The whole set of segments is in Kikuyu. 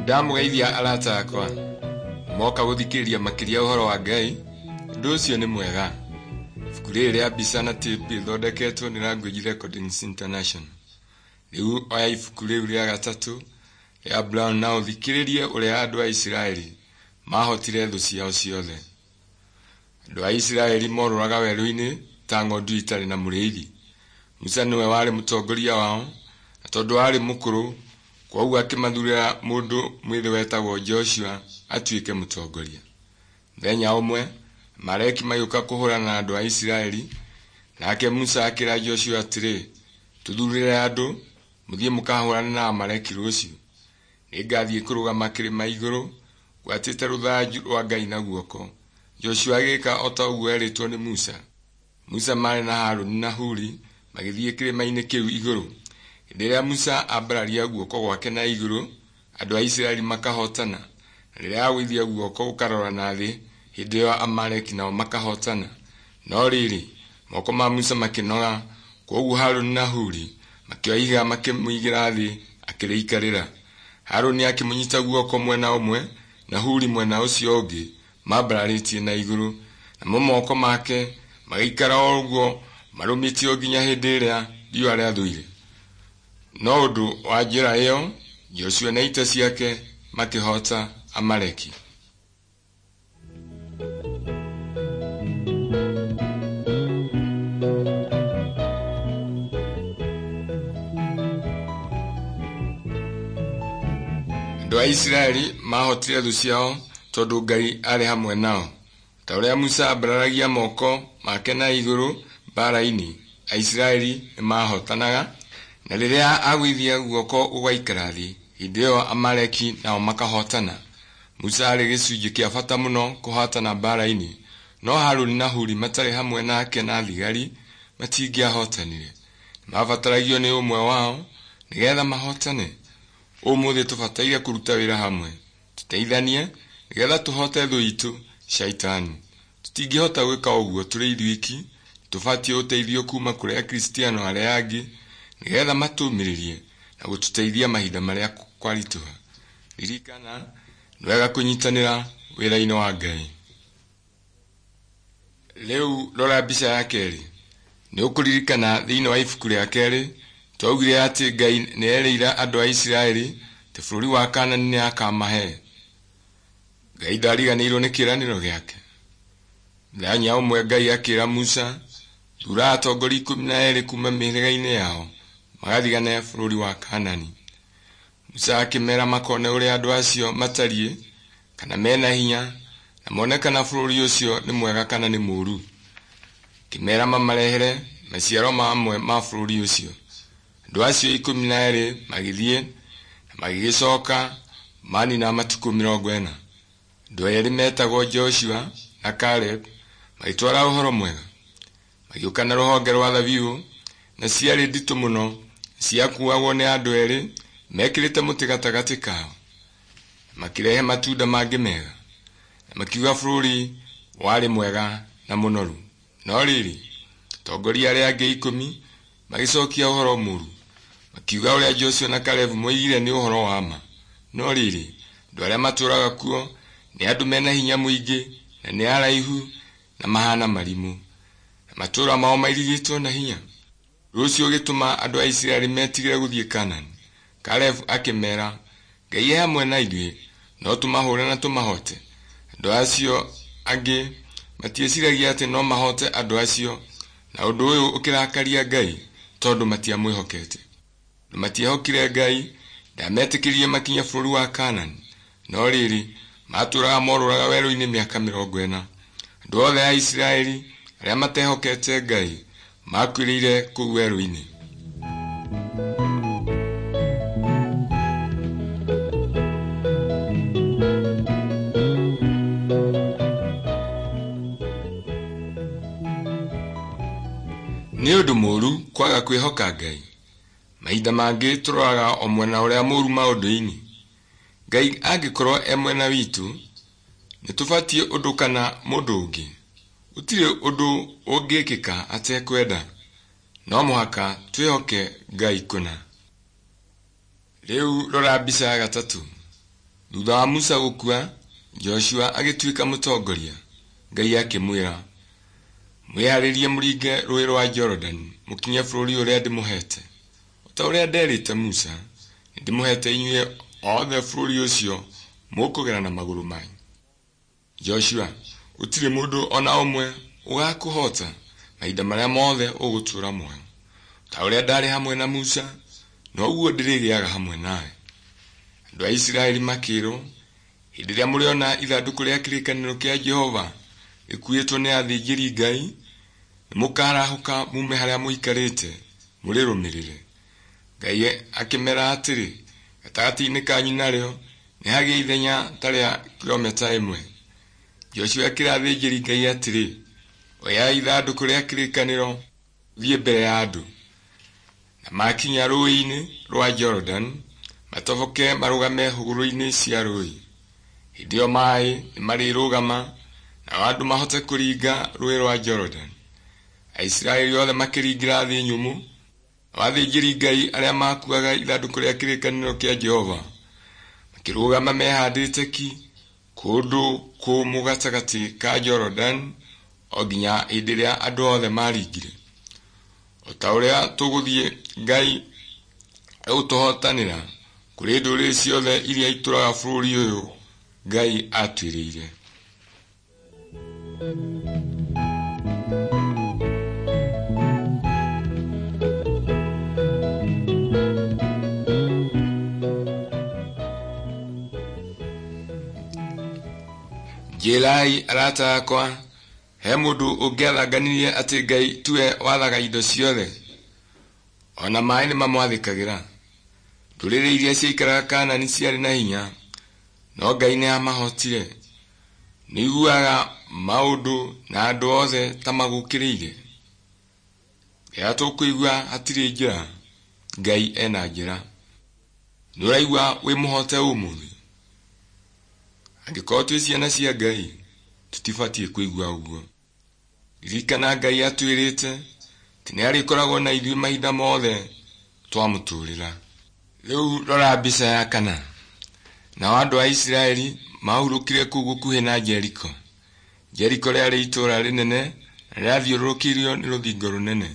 Ndamũgeithia arata akwa moka gũthikĩrĩria makĩria ũhoro wa Ngai. Ũndũ ũcio nĩ mwega. Ibuku rĩrĩ rĩa mbica na tape rĩthondeketwo nĩ Language Recordings International. Rĩu oya ibuku rĩu rĩa gatatũ rĩa Brown na ũthikĩrĩrie ũrĩa andũ a Isiraeli mahotire thũ ciao ciothe. Andũ a Isiraeli morũraga werũ-inĩ ta ng'ondu itarĩ na mũrĩithi. Musa nĩwe warĩ mũtongoria wao, na tondũ aarĩ mũkũrũ, kwoguo akĩmathurĩra mũndũ mwĩthĩ wetagwo Joshua atuĩke mũtongoria. Mũthenya ũmwe, Amaleki magĩũka kũhũrana na andũ a Isiraeli, nake Musa akĩra Joshua atĩrĩ, "Tũthuurĩre andũ, mũthiĩ mũkahũrane na Amaleki rũciũ. Nĩngathiĩ kũrũgama kĩrĩma igũrũ ngwatĩte rũthanju rwa Ngai na guoko." Joshua agĩĩka o ta ũguo eerĩtwo nĩ Musa. Musa marĩ na Harũni na Huri magĩthiĩ kĩrĩma-inĩ kĩu igũrũ. Hĩndĩ ĩrĩa Musa ambararia guoko gwake na igũrũ, andũ a Isiraeli makahootana, na rĩrĩa agũithia guoko gũkarora na thĩ, hĩndĩ ĩyo Amaleki nao makahootana. No rĩrĩ, moko ma Musa makĩnoga, kwoguo Harũni na Huri makĩoya ihiga makĩmũigĩra thĩ akĩrĩikarĩra. Harũni akĩmũnyita guoko mwena ũmwe na Huri mwena ũcio ũngĩ mambararĩtie na igũrũ, namo moko make magĩikara o ũguo marũmĩtio nginya hĩndĩ ĩrĩa riũa rĩathũire. No ũndũ wa njĩra ĩyo, Joshua na ita ciake makĩhoota Amaleki. Andũ a Isiraeli maahotire thũ ciao tondũ Ngai aarĩ hamwe nao. Ta ũrĩa Musa ambararagia moko make na igũrũ mbaara-inĩ, Aisiraeli nĩmahootanaga, na rĩrĩa agũithia guoko gũgaikara thĩ, hĩndĩ ĩyo Amaleki nao makahootana. Musa aarĩ gĩcunjĩ kĩa bata mũno kũhootana mbaara-inĩ, no Harũni na Huri matarĩ hamwe nake na thigari matingĩahotanire. Nĩmabataragio nĩ ũmwe wao nĩgetha mahootane. Ũmũthĩ tũbataire kũruta wĩra hamwe, tũteithanie nĩgetha tũhoote thũ itũ Shaitani. Tũtingĩhota gwĩka ũguo tũrĩ ithuiki, tũbatiĩ ũteithio kuma kũrĩ Akristiano arĩa angĩ nĩgetha matũũmĩrĩrie na gũtũteithia mahinda marĩa kwaritũha. Ririkana, nĩ wega kũnyitanĩra wĩra-inĩ wa Ngai. Rĩu rora mbica ya kerĩ. Nĩ ũkũririkana thĩinĩ wa ibuku rĩa kerĩ twaugire atĩ Ngai nĩ erĩire andũ a Isiraeli atĩ bũrũri wa Kaanani nĩ akamahe. Ngai ndariganĩirwo nĩ kĩĩranĩro gĩake. Mũthenya ũmwe Ngai akĩra Musa, "Thuura atongoria 12 kuuma mĩhĩrĩga-inĩ yao magathigane bũrũri wa Kaanani." Musa akĩmeera makone ũrĩa andũ acio matariĩ, kana mena hinya, na mone kana bũrũri ũcio nĩ mwega kana nĩ mũũru. Akĩmeera mamarehere maciaro mamwe ma bũrũri ũcio. Andũ acio 12 magĩthiĩ na magĩgĩcoka manina matukũ 40. Andũ erĩ metagwo Joshua na Caleb magĩtwara ũhoro mwega. Magĩũka na rũhonge rwa thabibũ, na ciarĩ nditũ mũno, ciakuagwo nĩ andũ erĩ mekĩrĩte mũtĩ gatagatĩ kao. Makĩrehe matunda mangĩ mega, na makiuga bũrũri warĩ mwega na mũnoru. No rĩrĩ, atongoria arĩa angĩ 10 magĩcokia ũhoro mũũru, makiuga ũrĩa Joshua na Caleb moigire nĩ ũhoro wa ma. No rĩrĩ, andũ arĩa matũũraga kuo nĩ andũ mena hinya mũingĩ na nĩ araihu na mahana marimũ, na matũũra mao mairigĩtwo na hinya. Ũndũ ũcio ũgĩtũma andũ a Isiraeli metigĩre gũthiĩ Kaanani. Caleb akĩmeera, "Ngai e hamwe na ithuĩ, no tũmahũũre na tũmahoote." Andũ acio angĩ matieciragia atĩ no mahoote andũ acio, na ũndũ ũyũ ũkĩrakaria Ngai tondũ matiamwĩhokete. Tondũ matiehokire Ngai, ndametĩkĩririe makinye bũrũri wa Kaanani. No rĩrĩ, maatũũraga morũraga werũ-inĩ mĩaka 40. Andũ othe a Isiraeli arĩa matehokete Ngai makuĩrĩire kũu werũ-inĩ. Nĩ ũndũ mũũru kwaga kwĩhoka Ngai. Mahinda mangĩ tũroraga o mwena ũrĩa mũũru maũndũ-inĩ. Ngai angĩkorwo e mwena witũ, nĩ tũbatiĩ ũndũ kana mũndũ ũngĩ. Gũtirĩ ũndũ ũngĩkĩka atekwenda. No mũhaka twĩhoke Ngai kũna. Rĩu rora mbica ya gatatũ. Thutha wa Musa gũkua, Joshua agĩtuĩka mũtongoria. Ngai akĩmwĩra, mwĩharĩrie mũringe rũũĩ rwa Jorodani mũkinye bũrũri ũrĩa ndĩmũheete. O ta ũrĩa nderĩte Musa, nĩndĩmũheete inyuĩ othe bũrũri ũcio mũkũgera na magũrũ manyu. Joshua, gũtirĩ mũndũ o na ũmwe ũgaakũhoota mahinda marĩa mothe ũgũtũũra muoyo. Ta ũrĩa ndaarĩ hamwe na Musa, noguo ndĩrĩgĩaga hamwe nawe. Andũ a Isiraeli makĩĩrwo, hĩndĩ ĩrĩa mũrĩona ithandũkũ rĩa kĩrĩkanĩro kĩa Jehova rĩkuĩtwo nĩ athĩnjĩri-Ngai, nĩmũkarahũka mume harĩa mũikarĩte mũrĩrũmĩrĩre. Ngai akĩmeera atĩrĩ, gatagatĩ-inĩ kanyu narĩo nĩhagĩe ithenya ta rĩa kilomita ĩmwe. Joshua akĩĩra athĩnjĩri-Ngai atĩrĩ, oyai ithandũkũ rĩa kĩrĩkanĩro thiĩ mbere ya andũ. Na makinya rũũĩ-inĩ rwa Jorodani, matoboke marũgame hũgũrũrũ-inĩ cia rũũĩ. Hĩndĩ ĩyo maaĩ nĩmarĩrũgama, nao andũ mahote kũringa rũũĩ rwa Jorodani. Aisiraeli othe makĩringĩra thĩ nyũmũ, nao athĩnjĩri-Ngai arĩa maakuuaga ithandũkũ rĩa kĩrĩkanĩro kĩa Jehova makĩrũgama mehaandĩte ki kũndũ kũmũ gatagatĩ ka Jorodani o nginya hĩndĩ ĩrĩa andũ othe maaringire. O ta ũrĩa tũgũthiĩ Ngai egũtũhootanĩra kũrĩ ndũrĩrĩ ciothe iria itũũraga bũrũri ũyũ Ngai aatwĩrĩire. Njĩrai arata akwa, he mũndũ ũngĩathanganirie atĩ Ngai tiwe wathaga indo ciothe? O na maaĩ nĩmamwathĩkagĩra. Ndũrĩrĩ iria ciaikaraga Kaanani ciarĩ na hinya, no Ngai nĩamahootire. Nĩiguaga maũndũ na andũ othe ta magũkĩrĩire? Rĩrĩa tũkũigua hatirĩ njĩra, Ngai ena njĩra. Nĩũraigua wĩ mũhote ũmũthĩ? Angĩkorwo twĩ ciana cia Ngai, tũtibatiĩ kũigua ũguo. Ririkana Ngai atwĩrĩte atĩ nĩarĩkoragwo na ithuĩ mahinda mothe twamũtũũrĩra. Rĩu rora mbica ya kana. Nao andũ a Isiraeli maahurũkire kũu gũkuhĩ na Jeriko. Jeriko rĩarĩ itũũra rĩnene na rĩathiũrũrũkĩirio nĩ rũthingo rũnene.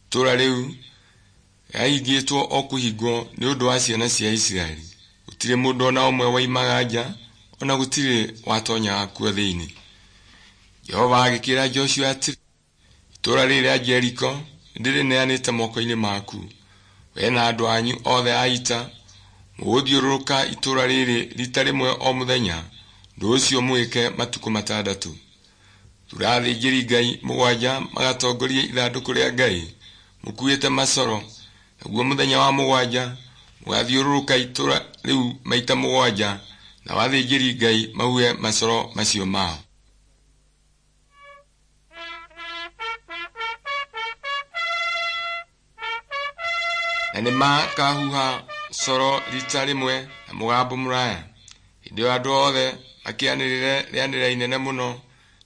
Itũũra rĩu rĩahingĩtwo o kũhingwo nĩ ũndũ wa ciana cia Isiraeli. Gũtirĩ mũndũ o na ũmwe woimaga nja, o na gũtirĩ watonyaga kuo thĩinĩ. Jehova agĩkĩĩra Joshua atĩrĩ, itũũra rĩrĩ rĩa Jeriko nĩndĩrĩneanĩte moko-inĩ maku, we na andũ anyu othe a ita. Mũgũthiũrũrũka itũũra rĩrĩ riita rĩmwe o mũthenya, ũndũ ũcio mwĩke matukũ matandatũ. Thuura athĩnjĩri-Ngai mũgwanja magatongorie ithandũkũ rĩa Ngai mũkuĩte macoro, naguo mũthenya wa mũgwanja mũgaathiũrũrũka itũũra rĩu maita mũgwanja, nao athĩnjĩri-Ngai mahuhe macoro macio mao. Na nĩmakahuha coro riita rĩmwe na mũgambo mũraya. Hĩndĩ ĩyo andũ othe makĩanĩrĩre rĩanĩrĩra inene mũno,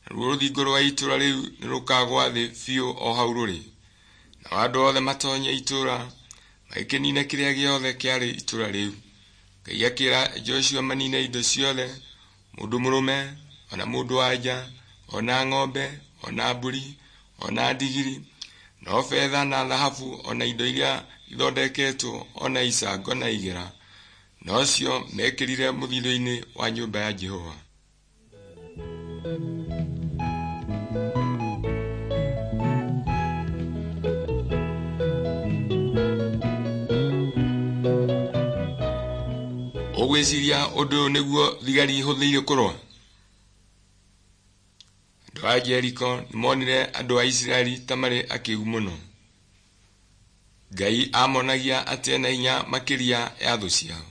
naruo rũthingo rwa itũũra rĩu nĩrũkagũa thĩ biũ o hau rũrĩ. Nao andũ othe matoonye itũũra, magĩkĩniina kĩrĩa gĩothe kĩarĩ itũũra rĩu. Ngai akĩĩra Joshua maniine indo ciothe, mũndũ mũrũme, o na mũndũ-wa-nja, o na ng'ombe, o na mbũri, o na ndigiri, no betha na thahabu o na indo iria ithondeketwo o na icango na igera, nocio meekĩrire mũthithũ-inĩ wa nyũmba ya Jehova. Ũgwĩciria ũndũ ũyũ nĩguo thigari ihũthĩire kũrũa? Andũ a Jeriko nĩmonire andũ a Isiraeli ta marĩ akĩĩgu mũno. Ngai aamonagia atĩ ena hinya makĩria ya thũ ciao.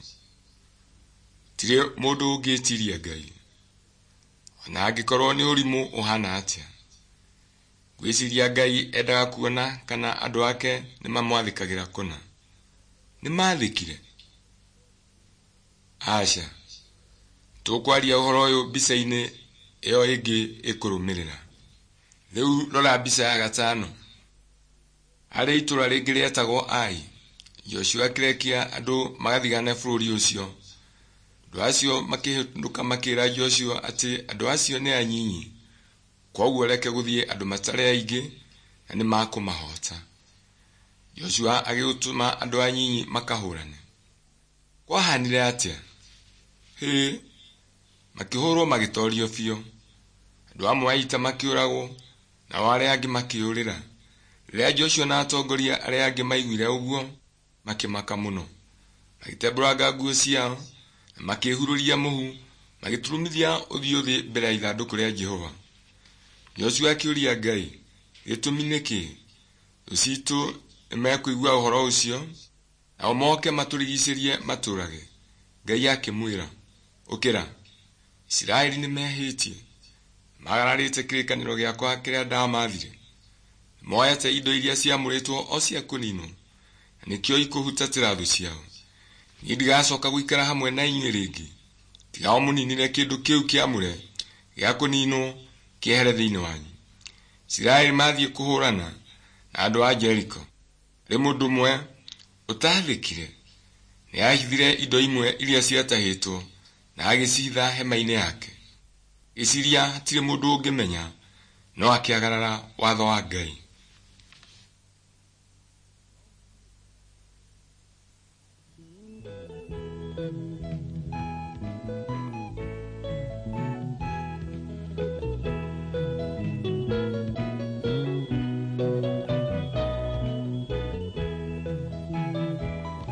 Gũtirĩ mũndũ ũngĩĩtiiria Ngai, o na angĩkorwo nĩ ũrimũ ũhaana atĩa. Ngwĩciria Ngai endaga kuona kana andũ ake nĩmamwathĩkagĩra kũna. Nĩmathĩkire? Aca. Tũkwaria ũhoro ũyũ mbica-inĩ ĩyo ĩngĩ ĩkũrũmĩrĩra. Rĩu rora mbica ya gatano. Harĩ itũũra rĩngĩ rĩetagwo Ai. Joshua akĩrekia andũ magathigane bũrũri ũcio. Andũ acio makĩhĩtũka makĩra Joshua atĩ andũ acio nĩ anyinyi, kwoguo reke gũthiĩ andũ matarĩ aingĩ na nĩmakũmahoota. Joshua agĩtũma andũ anyinyi makahũrane. Kwahanire atĩa? Hĩ, makĩhũrwo magĩtorio biũ. Andũ amwe a ita makĩũragwo, nao arĩa angĩ makĩũrĩra. Rĩrĩa Joshua na atongoria arĩa angĩ maiguire ũguo, makĩmaka mũno. Magĩtembũranga nguo ciao, na makĩĩhurũria mũhu, magĩturumithia ũthiũ thĩ mbere ya ithandũkũ rĩa Jehova. Joshua akĩũria Ngai, gĩtũmi nĩ kĩĩ? Thũ ciitũ nĩmekũigua ũhoro ũcio, nao moke matũrigicĩrie matũũrage. Ngai akĩmwĩra, ũkĩra, Isiraeli nĩmehĩtie, nĩmagararĩte kĩrĩkanĩro gĩakwa kĩrĩa ndamathire. Nĩmoete indo iria ciamũrĩtwo o cia kũninwo, na nĩkĩo ikũhutatĩra thũ ciao. Niĩ ndigacoka gũikara hamwe na inyuĩ rĩngĩ, tiga o mũninire kĩndũ kĩu kĩamũre gĩa kũninwo kĩehere thĩinĩ wanyu. Isiraeli mathiĩ kũhũrana na andũ a Jeriko. Harĩ mũndũ ũmwe ũtaathĩkire, nĩahithire indo imwe iria ciatahĩtwo na agĩcihitha hema-inĩ yake. Agĩciiria hatirĩ mũndũ ũngĩmenya, no akĩagarara watho wa Ngai.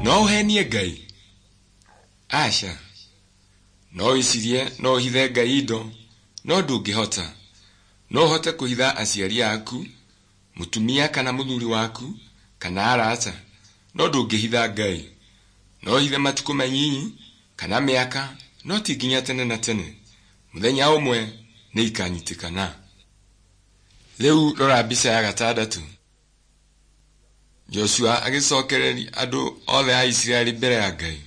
No ũhenie Ngai? Aca. No wĩcirie no ũhithe Ngai indo, no ndũngĩhota. No ũhote kũhitha aciari aku, mũtumia kana mũthuri waku, kana arata, no ndũngĩhitha Ngai. No ũhithe matukũ manyinyi kana mĩaka, no ti nginya tene na tene. Mũthenya ũmwe nĩ ikanyitĩkana. Rĩu rora mbica ya gatandatũ. Joshua agĩcokereria andũ othe a Isiraeli mbere ya Ngai.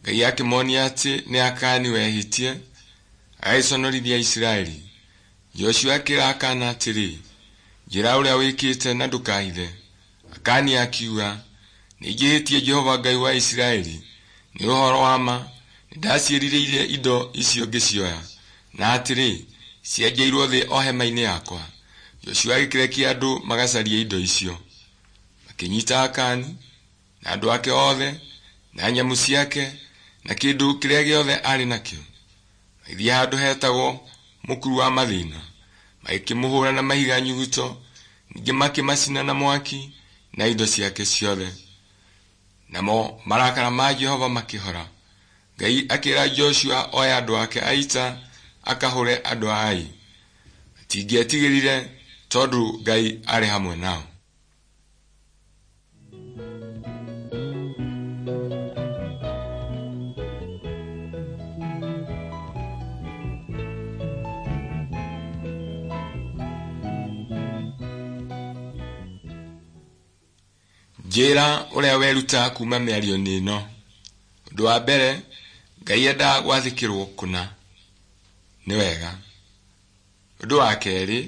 Ngai akĩmonia atĩ nĩ Akani wehĩtie, agĩconorithia Isiraeli. Joshua akĩra Akani atĩrĩ, njĩra ũrĩa wĩkĩte na ndũkahithe. Akani akiuga, nĩnjĩhĩtie Jehova Ngai wa Isiraeli. Nĩ ũhoro wa ma, nĩndaciĩrirĩirie indo icio ngĩcioya, na atĩrĩ, cienjeirwo thĩ o hema-inĩ yakwa. Joshua agĩkĩrekia andũ magacarie indo icio. Makĩnyita Akani na andũ ake othe na nyamũ ciake na kĩndũ kĩrĩa gĩothe arĩ nakĩo. Magĩthiĩ handũ hetagwo Mũkuru wa Mathĩna, magĩkĩmũhũũra na mahiga nyuguto, ningĩ makĩmacina na mwaki na indo ciake ciothe. Namo marakara ma Jehova makĩhora. Ngai akĩra Joshua oe andũ ake a ita akahũre andũ a Ai. Matingĩetigĩrire tondũ Ngai aarĩ hamwe nao. Njĩra ũrĩa weruta kuma mĩario-inĩ ĩno. Ũndũ wa mbere, Ngai endaga gwathĩkĩrwo kũna. Nĩ wega. Ũndũ wa kerĩ,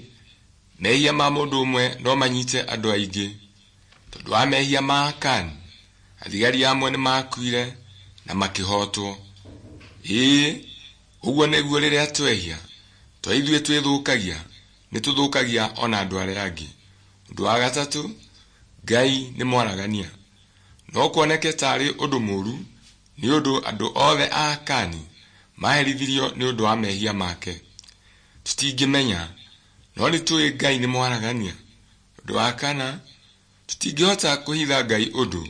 mehia ma mũndũ ũmwe no manyite andũ aingĩ. Tondũ wa mehia ma Akani, athigari amwe nĩ makuire na makĩhotwo. Ĩĩ, ũguo nĩguo rĩrĩa twehia, to ithuĩ twĩthũkagia, nĩ tũthũkagia ona andũ arĩa angĩ. Ũndũ wa gatatũ, Ngai nĩ mwaragania. No kuoneke taarĩ ũndũ mũũru nĩ ũndũ andũ othe a Akani maherithirio nĩ ũndũ wa mehia make. Tũtingĩmenya, no nĩ tũĩ Ngai nĩ mwaragania. Ũndũ wa kana, tũtingĩhota kũhitha Ngai ũndũ,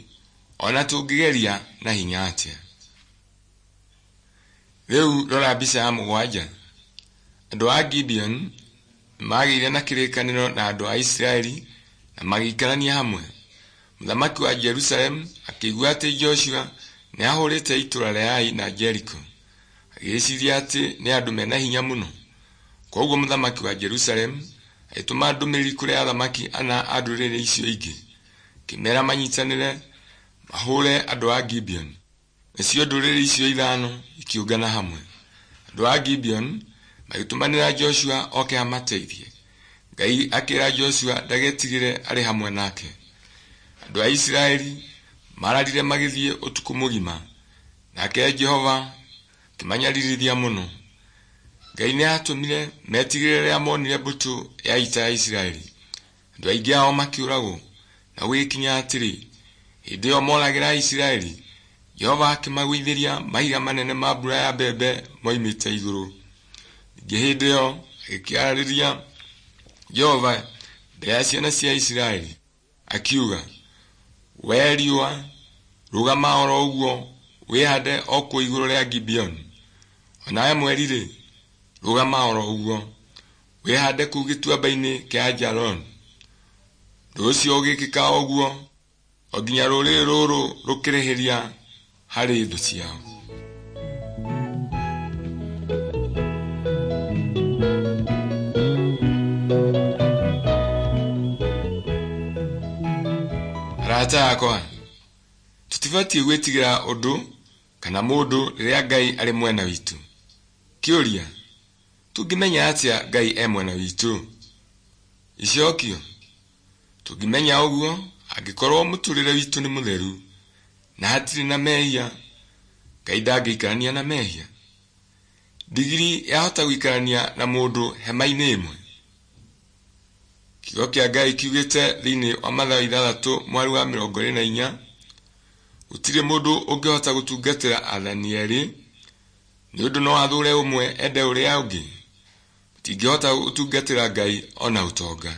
ona tũngĩgeria na hinya atĩa. Rĩu rora mbica ya mũgwanja. Andũ a Gibeon nĩmagĩire na kĩrĩkanĩro na andũ a Isiraeli na magĩikarania hamwe. Mũthamaki wa Jerusalemu akĩigua atĩ Joshua nĩahũrĩte itũũra rĩa Ai na Jeriko. Agĩĩciria atĩ nĩ andũ mena hinya mũno. Kwoguo mũthamaki wa Jerusalemu agĩtũma ndũmĩrĩri kũrĩ athamaki ana a ndũrĩrĩ icio ingĩ, akĩmeera manyitanĩre mahũre andũ a Gibeon. Nacio ndũrĩrĩ icio ithano ikĩũngana hamwe. Andũ a Gibeon magĩtũmanĩra Joshua oke amateithie. Ngai akĩra Joshua ndagetigĩre arĩ hamwe nake. Andũ a Isiraeli mararire magĩthiĩ ũtukũ mũgima, nake Jehova Akĩmanyaririthia mũno. Ngai nĩ aatũmire metigĩre rĩrĩa monire mbũtũ ya ita ya Isiraeli. Andũ aingĩ ao makĩũragwo, na gũgĩkinya atĩrĩ, hĩndĩ ĩyo moragĩra Isiraeli, Jehova akĩmagũithĩria mahiga manene ma mbura ya mbembe moimĩte igũrũ. Ningĩ hĩndĩ ĩyo agĩkĩarĩria Jehova mbere ya ciana cia Isiraeli, akiuga, "Wee riũa, rũgama oro ũguo wĩhaande o kũu igũrũ rĩa Gibeoni, o nawe mweri-rĩ, rũgama oro ũguo wĩhaande kũu gĩtuamba-inĩ kĩa Aijaloni." Ũndũ ũcio ũgĩkĩka o ũguo o nginya rũrĩrĩ rũrũ rũkĩrĩhĩria harĩ thũ ciao. Arata akwa, tũtibatiĩ gwĩtigĩra ũndũ kana mũndũ rĩrĩa Ngai arĩ mwena witũ. Kĩũria: tũngĩmenya atĩa Ngai e mwena witũ? Icokio: tũngĩmenya ũguo angĩkorwo mũtũrĩre witũ nĩ mũtheru na hatirĩ na mehia. Ngai ndangĩikarania na mehia. Ndigiri yahota gũikarania na mũndũ hema-inĩ ĩmwe? Kiugo kĩa Ngai kiugĩte thĩinĩ wa Mathayo 6:24, gũtirĩ mũndũ ũngĩhota gũtungatĩra athani erĩ, nĩ ũndũ no athũũre ũmwe ende ũrĩa ũngĩ. Mũtingĩhota gũtungatĩra Ngai o na ũtonga.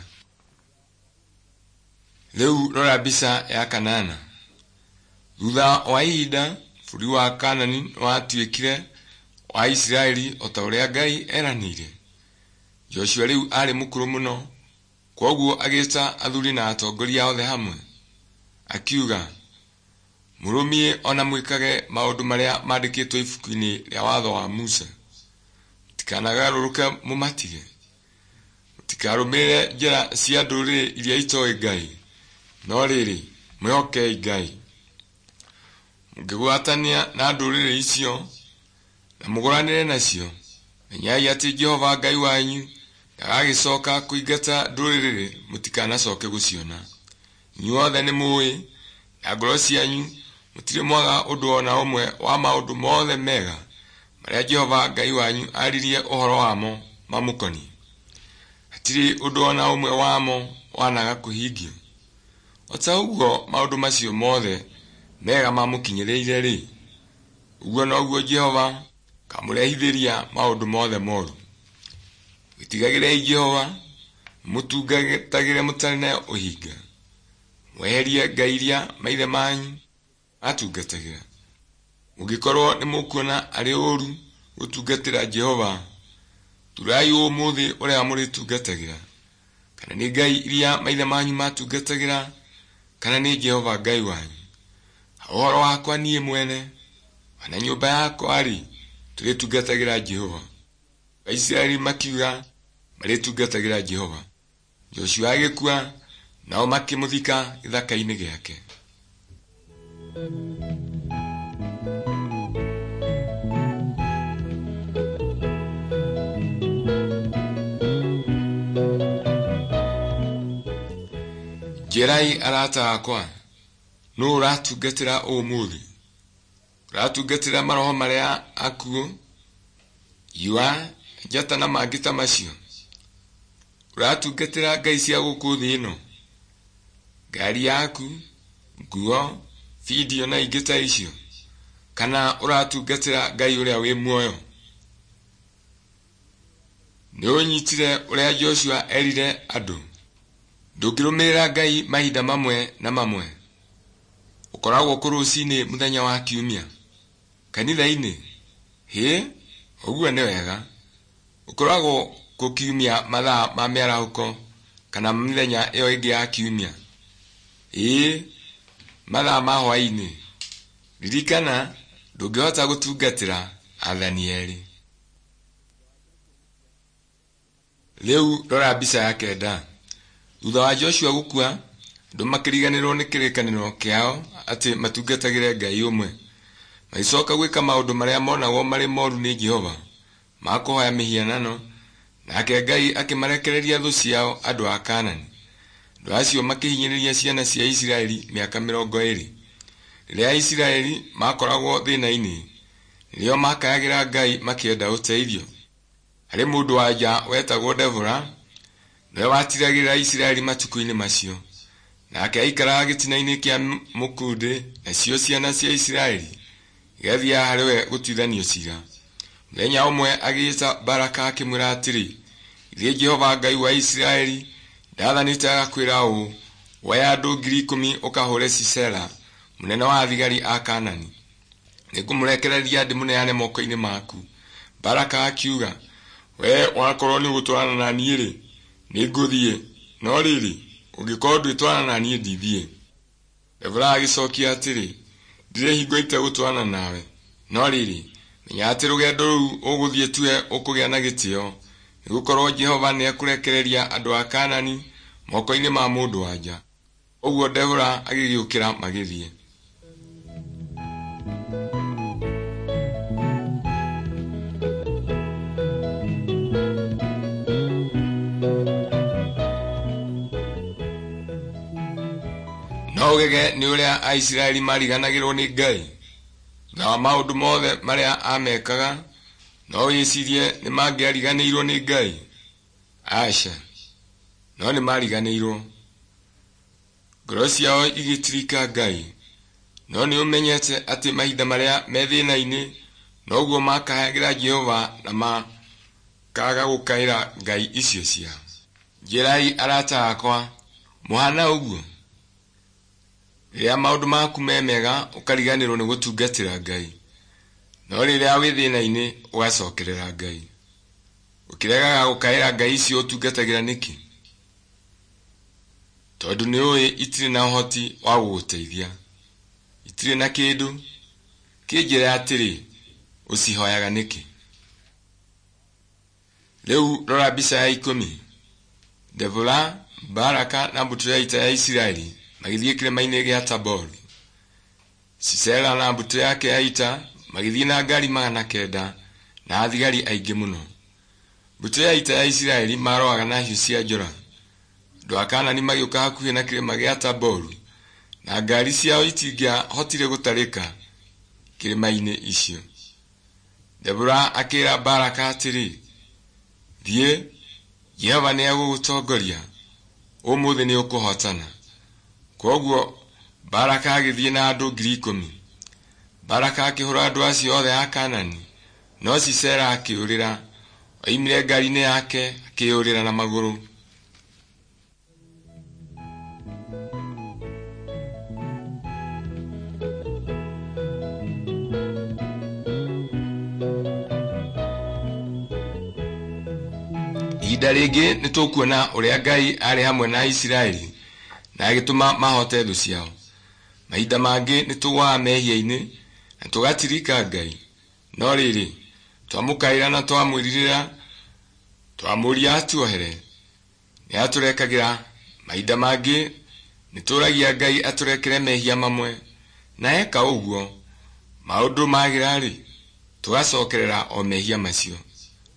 Rĩu rora mbica ya kanana. Thutha wa ihinda, bũrũri wa Kaanani nĩwatuĩkire wa Isiraeli o ta ũrĩa Ngai eranĩire. Joshua rĩu aarĩ mũkũrũ mũno, kwoguo agĩĩta athuri na atongoria othe hamwe. Akiuga, "Mũrũmie o na mwĩkage maũndũ marĩa maandĩkĩtwo ibuku-inĩ rĩa watho wa Musa. Mũtikanagarũrũke mũmatige. Mũtikarũmĩrĩre njĩra cia ndũrĩrĩ iria itooĩ Ngai, no rĩrĩ, mwĩhokei Ngai. Mũngĩgwatania na ndũrĩrĩ icio na mũgũranĩre nacio, menyai atĩ Jehova Ngai wanyu ndagagĩcooka kũingata ndũrĩrĩ mũtikanacoke gũciona. Inyuothe nĩmũũĩ na ngoro cianyu mũtirĩ mwaga ũndũ o na ũmwe wa maũndũ mothe mega marĩa Jehova Ngai wanyu aaririe ũhoro wamo mamũkoniĩ. Hatirĩ ũndũ o na ũmwe wamo wanaga kũhingio. O ta ũguo maũndũ macio mothe mega mamũkinyĩrĩire-rĩ, ũguo noguo Jehova akamũrehithĩria maũndũ mothe moru. Wĩtigagĩrei Jehova, mũmũtungatagĩre mũtarĩ na ũhinga. Mweherie ngai iria maithe manyu maatungatagĩra. Mũngĩkorwo nĩmũkuona arĩ ũũru gũtungatĩra Jehova, thuurai ũmũthĩ ũrĩa mũrĩtungatagĩra, kana nĩ ngai iria maithe manyu maatungatagĩra, kana nĩ Jehova Ngai wanyu. Ha ũhoro wakwa niĩ mwene, o na nyũmba yakwa-rĩ, tũrĩtungatagĩra Jehova." Aisiraeli makiuga marĩtungatagĩra Jehova. Joshua agĩkua, nao makĩmũthika gĩthaka-inĩ gĩake. Njĩrai arata akwa, nũũ ũratungatĩra ũmũthĩ? Ũratungatĩra maroho marĩa akuũ, iwa, njata na mangĩ ta macio? Ũratungatĩra ngai cia gũkũ thĩ ĩno? Ngari yaku, nguo, bindio na ingĩ ta icio? Kana ũratungatĩra Ngai ũrĩa wĩ muoyo? Nĩ ũnyitire ũrĩa Joshua erire andũ? Ndũngĩrũmĩrĩra Ngai mahinda mamwe na mamwe. Ũkoragwo kũ rũcinĩ mũthenya wa kiumia? Kanitha-inĩ? Hĩ, ũguo nĩ wega. Ũkoragwo kũ kiumia mathaa ma mĩarahũko kana mĩthenya ĩyo ĩngĩ ya kiumia? Ĩĩ, mathaa ma hwaĩ-inĩ. Ririkana, ndũngĩhota gũtungatĩra athani erĩ. Rĩu rora mbica ya kenda. Thutha wa Joshua gũkua, andũ makĩriganĩrwo nĩ kĩrĩkanĩro kĩao atĩ matungatagĩre Ngai ũmwe. Magĩcoka gwĩka maũndũ marĩa monagwo marĩ moru nĩ Jehova, ma kũhoya mĩhianano, nake Ngai akĩmarekereria thũ ciao andũ a Kaanani. Andũ acio makĩhinyĩrĩria ciana cia Isiraeli mĩaka 20. Rĩrĩa Aisiraeli maakoragwo thĩna-inĩ, Nĩrĩo makayagĩra Ngai makĩenda ũteithio. Harĩ mũndũ wa nja wetagwo Debora, nĩwe watiragĩrĩra Isiraeli matukũ-inĩ macio. Nake aikaraga gĩtina-inĩ kĩa mũkundĩ, nacio ciana cia Isiraeli igathiaga harĩ we gũtuithanio ciira. Mũthenya ũmwe agĩĩta Baraka akĩmwĩra atĩrĩ, "Githĩ Jehova Ngai wa Isiraeli ndaathanĩte agakwĩra ũũ, 'Oya andũ 10,000 ũkahũre Sisera, mũnene wa thigari a Kaanani. Nĩngũmũrekereria ndĩmũneane moko-inĩ maku.'" Baraka akiuga, "Wee wakorwo nĩũgũtwarana na niĩ-rĩ, nĩngũthiĩ, no rĩrĩ, ũngĩkorwo ndwĩtwarana na niĩ ndithiĩ." Debora agĩcokia atĩrĩ, "Ndirĩ hingo itegũtwarana nawe, no rĩrĩ, menya atĩ rũgendo rũu ũgũthiĩ tiwe ũkũgĩa na gĩtĩo, nĩgũkorwo Jehova nĩekũrekereria andũ a Kaanani moko-inĩ ma mũndũ-wa-nja." Ũguo Debora agĩgĩũkĩra magĩthiĩ. No ũgege nĩ ũrĩa Aisiraeli mariganagĩrwo nĩ Ngai. Thutha wa maũndũ mothe marĩa amekaga, no wĩcirie nĩ mangĩariganĩirwo nĩ Ngai? Aca, no nĩ mariganĩirwo. Ngoro ciao igĩtirika Ngai. No nĩ ũmenyete atĩ mahinda marĩa me thĩna-inĩ noguo makayagĩra Jehova na makaga gũkaĩra ngai icio ciao. Njĩrai arata akwa, mũhana ũguo? Rĩrĩa maũndũ maku me mega ũkariganĩrwo nĩ gũtungatĩra Ngai, no rĩrĩa wĩ thĩna-inĩ ũgacokerera Ngai. Ũkĩregaga gũkaĩra ngai icio ũtungatagĩra nĩkĩ? Tondũ nĩũĩ itirĩ na ũhoti wa gũgũteithia, itirĩ na kĩndũ. Kĩnjĩre atĩrĩ, ũcihoyaga nĩkĩ? Rĩu rora mbica ya 10. Debora, Baraka na mbũtũ ya ita ya Isiraeli magĩthiĩ kĩrĩma-inĩ gĩa Taboru. Sisera na mbũtũ yake ya ita magĩthiĩ na ngari 900 na athigari aingĩ mũno. Mbũtũ ya ita ya Isiraeli marũaga na hiũ cia njora. Andũ a Kaanani magĩũka hakuhĩ na kĩrĩma gĩa Taboru, na ngari ciao itingĩahotire gũtarĩka kĩrĩma-inĩ icio. Debora akĩra Baraka atĩrĩ, "Thiĩ, Jehova nĩegũgũtongoria. Ũmũthĩ nĩũkũhootana." Kwoguo Baraka agĩthiĩ na andũ 10,000. Baraka akĩhũũra andũ acio othe a Kaanani, no Sisera akĩũrĩra. Oimire ngari-inĩ yake akĩĩyũrĩra na magũrũ. Ihinda rĩngĩ nĩtũkuona ũrĩa Ngai aarĩ hamwe na Isiraeli na agĩtũma mahote thũ ciao. Mahinda mangĩ nĩtũgũaga mehia-inĩ na tũgatirika Ngai. No rĩrĩ, twamũkaĩra na twamwĩrirĩra, twamũũria atuohere, nĩatũrekagĩra. Mahinda mangĩ nĩtũragia Ngai atũrekere mehia mamwe, na eka ũguo, maũndũ magĩra-rĩ, tũgacokerera o mehia macio.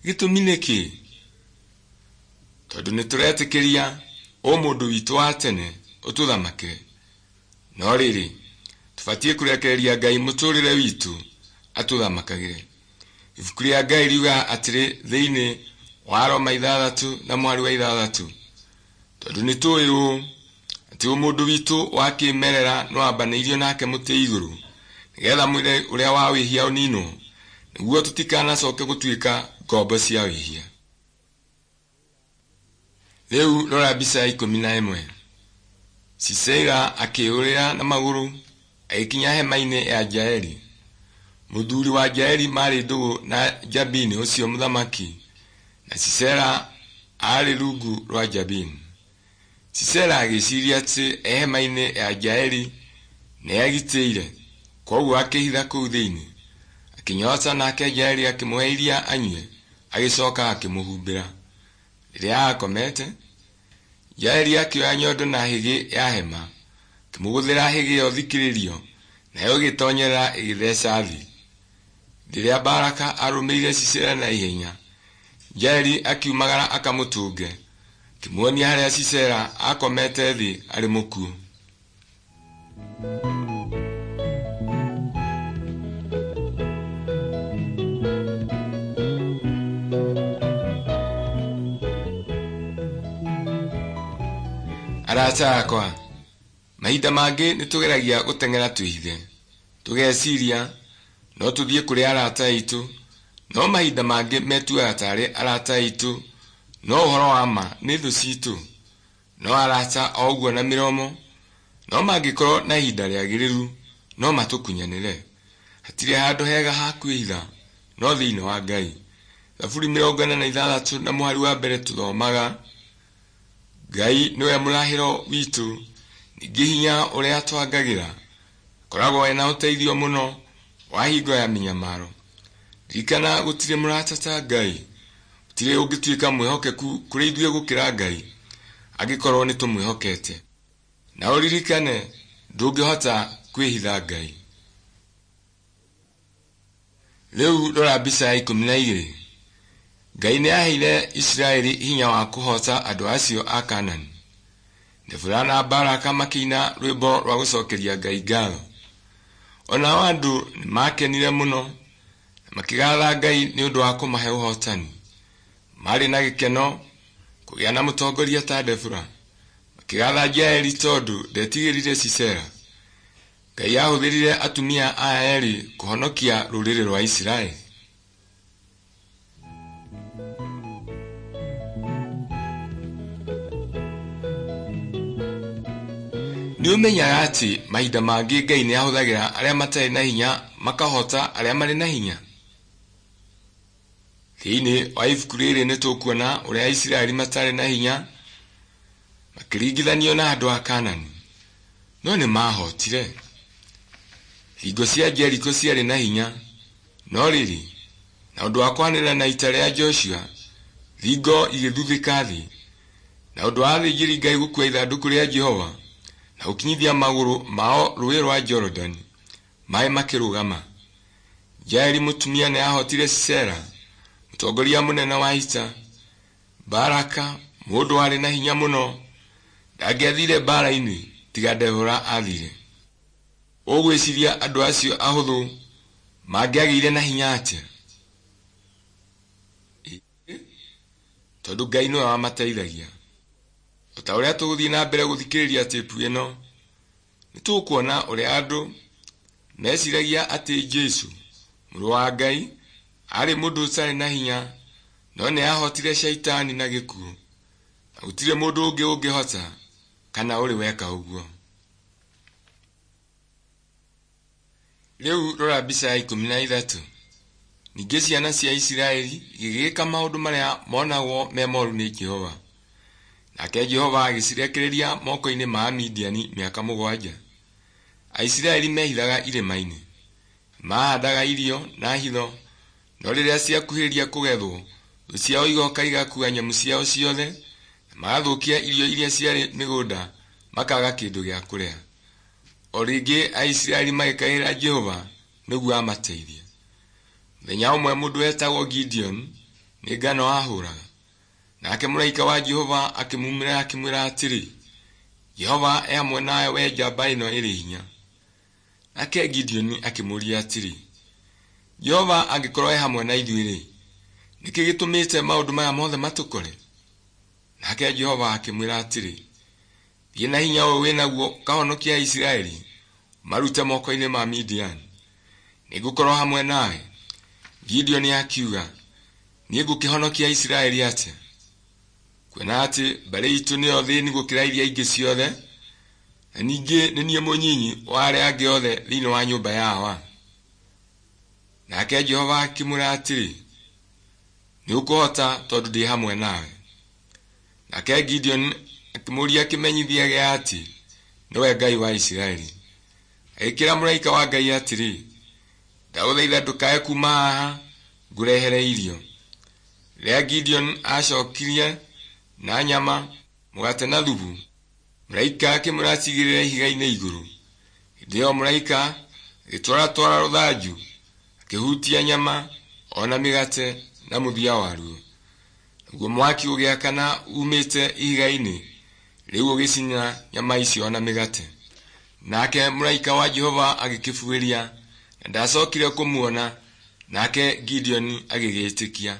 Gĩtũmi nĩ kĩĩ? Tondũ nĩtũretĩkĩria ũmũndũ witũ wa tene ũtũthamakĩre. No rĩrĩ, tũbatiĩ kũrekereria Ngai mũtũrĩre witũ atũthamakagĩre. Ibuku rĩa Ngai riugaga atĩrĩ thĩinĩ wa Roma 6:6, tondũ nĩtũĩ ũũ, atĩ ũmũndũ witũ wa kĩĩmerera nĩwambanĩirio nake mũtĩ igũrũ, nĩgetha mwĩrĩ ũrĩa wa wĩhia ũninwo, nĩguo tũtikanacoke gũtuĩka ngombo cia wĩhia. Rĩu rora mbica ya 11. Sisera akĩĩyũrĩra na magũrũ agĩkinya hema-inĩ ya Jaeli. Mũthuri wa Jaeli maarĩ ndũgũ na Jabini ũcio mũthamaki, na Sisera aarĩ rungu rwa Jabini. Sisera agĩciria atĩ e hema-inĩ ya Jaeli nĩegitĩire, kwoguo akĩĩhitha kũu thĩinĩ. Akĩnyoota nake Jaeli akĩmũhe iria anyue, agĩcoka akĩmũhumbĩra. Rĩrĩa aakomete, Jaeli akĩoya nyondo na hĩgĩ ya hema, akĩmũgũthĩra hĩgĩ ĩyo thikĩrĩrio, nayo ĩgĩtoonyerera ĩgĩtheca thĩ. Rĩrĩa Baraka aarũmĩrĩire Sisera na ihenya, Jaeli akiumagara akamũtũnge, akĩmuonia harĩa Sisera aakomete thĩ arĩ mũkuũ. Arata akwa, mahinda mangĩ nĩ tũgeragia gũteng'era twĩhithe, tũgeciria no tũthiĩ kũrĩ arata aitũ, no mahinda mangĩ metuaga tarĩ arata aitũ, no ũhoro wa ma nĩ thũ citũ. No arata o ũguo na mĩromo, no mangĩkorwo na ihinda rĩagĩrĩru no matũkunyanĩre. Hatirĩ handũ hega ha kwĩhitha no thĩinĩ wa Ngai. Thaburi 46 na mũhari wa mbere tũthomaga, Ngai nĩwe mũrahĩro witũ, ningĩ hinya ũrĩa twangagĩra, koragwo ena ũteithio mũno wa hingo ya mĩnyamaro. Ririkana gũtirĩ mũrata ta Ngai, gũtirĩ ũngĩtuĩka mwĩhokeku kũrĩ ithuĩ gũkĩra Ngai, angĩkorwo nĩ tũmwĩhokete. Na ũririkane ndũngĩhota kwĩhitha Ngai. Rĩu rora mbica ya 12. Ngai nĩ aaheire Isiraeli hinya wa kũhoota andũ acio a Kaanani. Debora na Baraka makĩina rwĩmbo rwa gũcokeria Ngai ngatho. O nao andũ nĩ maakenire mũno na makĩgatha Ngai nĩ ũndũ wa kũmahe ũhootani. Maarĩ na gĩkeno kũgĩa na mũtongoria ta Debora. Makĩgatha Jaeli tondũ ndetigĩrire Sisera. Ngai aahũthĩrire atumia aya erĩ kũhonokia rũrĩrĩ rwa Isiraeli. Nĩ ũmenyaga atĩ mahinda mangĩ Ngai nĩ ahũthagĩra arĩa matarĩ na hinya makahota arĩa marĩ na hinya? Thĩinĩ wa ibuku rĩrĩ nĩ tũkuona ũrĩa Aisiraeli matarĩ na hinya makĩringithanio na andũ a Kaanani, no nĩ maahotire. Thingo cia Jeriko ciarĩ na hinya, no rĩrĩ, na ũndũ wa kwanĩrĩra na ita rĩa Joshua, thingo igĩthuthĩka thĩ. Na ũndũ wa athĩnjĩri-Ngai gũkuua ithandũkũ rĩa Jehova na gũkinyithia magũrũ mao rũũĩ rwa Jorodani, maĩ makĩrũgama. Jaeli mũtumia nĩ aahotire Sisera, mũtongoria mũnene wa ita. Baraka, mũndũ warĩ na hinya mũno, ndangĩathire mbaara-inĩ tiga Debora aathire. Ũgwĩciria andũ acio ahũthũ mangĩagĩire na hinya atĩa? Tondũ Ngai nĩwe wamateithagia. O ta ũrĩa tũgũthiĩ na mbere gũthikĩrĩria tape ĩno, nĩ tũkuona ũrĩa andũ meciragia atĩ Jesu, mũrũ wa Ngai, aarĩ mũndũ ũtarĩ na hinya, no nĩ aahotire Shaitani na gĩkuũ, na gũtirĩ mũndũ ũngĩ ũngĩhota kana ũrĩ weka ũguo. Rĩu rora mbica ya 13. Ningĩ ciana cia Isiraeli igĩgĩka maũndũ marĩa monagwo me moru nĩ Jehova. Nake Jehova agĩcirekereria moko-inĩ ma Amidiani mĩaka 7. Aisiraeli meehithaga irĩma-inĩ. Maahandaga irio na hitho, no rĩrĩa ciakuhĩrĩria kũgethwo, thũ ciao igoka igakuua nyamũ ciao ciothe na magathũkia irio iria ciarĩ mĩgũnda makaga kĩndũ gĩa kũrĩa. O rĩngĩ Aisiraeli magĩkaĩra Jehova nĩguo amateithie. Mũthenya ũmwe mũndũ wetagwo Gideoni nĩ ngano aahũraga. Nake mũraika wa Jehova akĩmumĩrĩra akĩmwĩra atĩrĩ, Jehova e hamwe nawe wee njamba ĩno ĩrĩ hinya. Nake Gideoni akĩmũũria atĩrĩ, Jehova angĩkorwo e hamwe na ithuĩ-rĩ, nĩkĩ gĩtũmĩte maũndũ maya mothe matũkore? Nake Jehova akĩmwĩra atĩrĩ, Thiĩ na hinya ũyũ wĩ naguo ũkahonokie Aisiraeli ũmarute moko-inĩ ma Midiani. Nĩngũkorwo hamwe nawe. Gideoni akiuga, Niĩ ngũkĩhonokia Aisiraeli atĩa? Kuona atĩ mbarĩ itũ nĩyo thĩni gũkĩra iria ingĩ ciothe, na ningĩ nĩ niĩ mũnyinyi wa arĩa angĩ othe thĩinĩ wa nyũmba ya awa. Nake Jehova akĩmwĩra atĩrĩ, Nĩ ũkũhota tondũ ndĩ hamwe nawe. Nake Gideoni akĩmũũria kĩmenyithia gĩa atĩ nĩwe Ngai wa Isiraeli. Agĩkĩra mũraika wa Ngai atĩrĩ, Ndagũthaitha ndũkae kuuma haha ngũrehere irio. Rĩrĩa Gideoni aacokirie na nyama, mũgate na thubu, mũraika akĩmwĩra acigĩrĩre ihiga-inĩ igũrũ. Hĩndĩ ĩyo mũraika agĩtwaratwara rũthanju, akĩhutia nyama o na mĩgate na mũthia waruo. Naguo mwaki ũgĩakana uumĩte ihiga-inĩ rĩu ũgĩcina nyama icio na mĩgate. Nake mũraika wa Jehova agĩkĩbuĩria, na ndaacokire kũmuona, nake Gideoni agĩgĩĩtĩkia.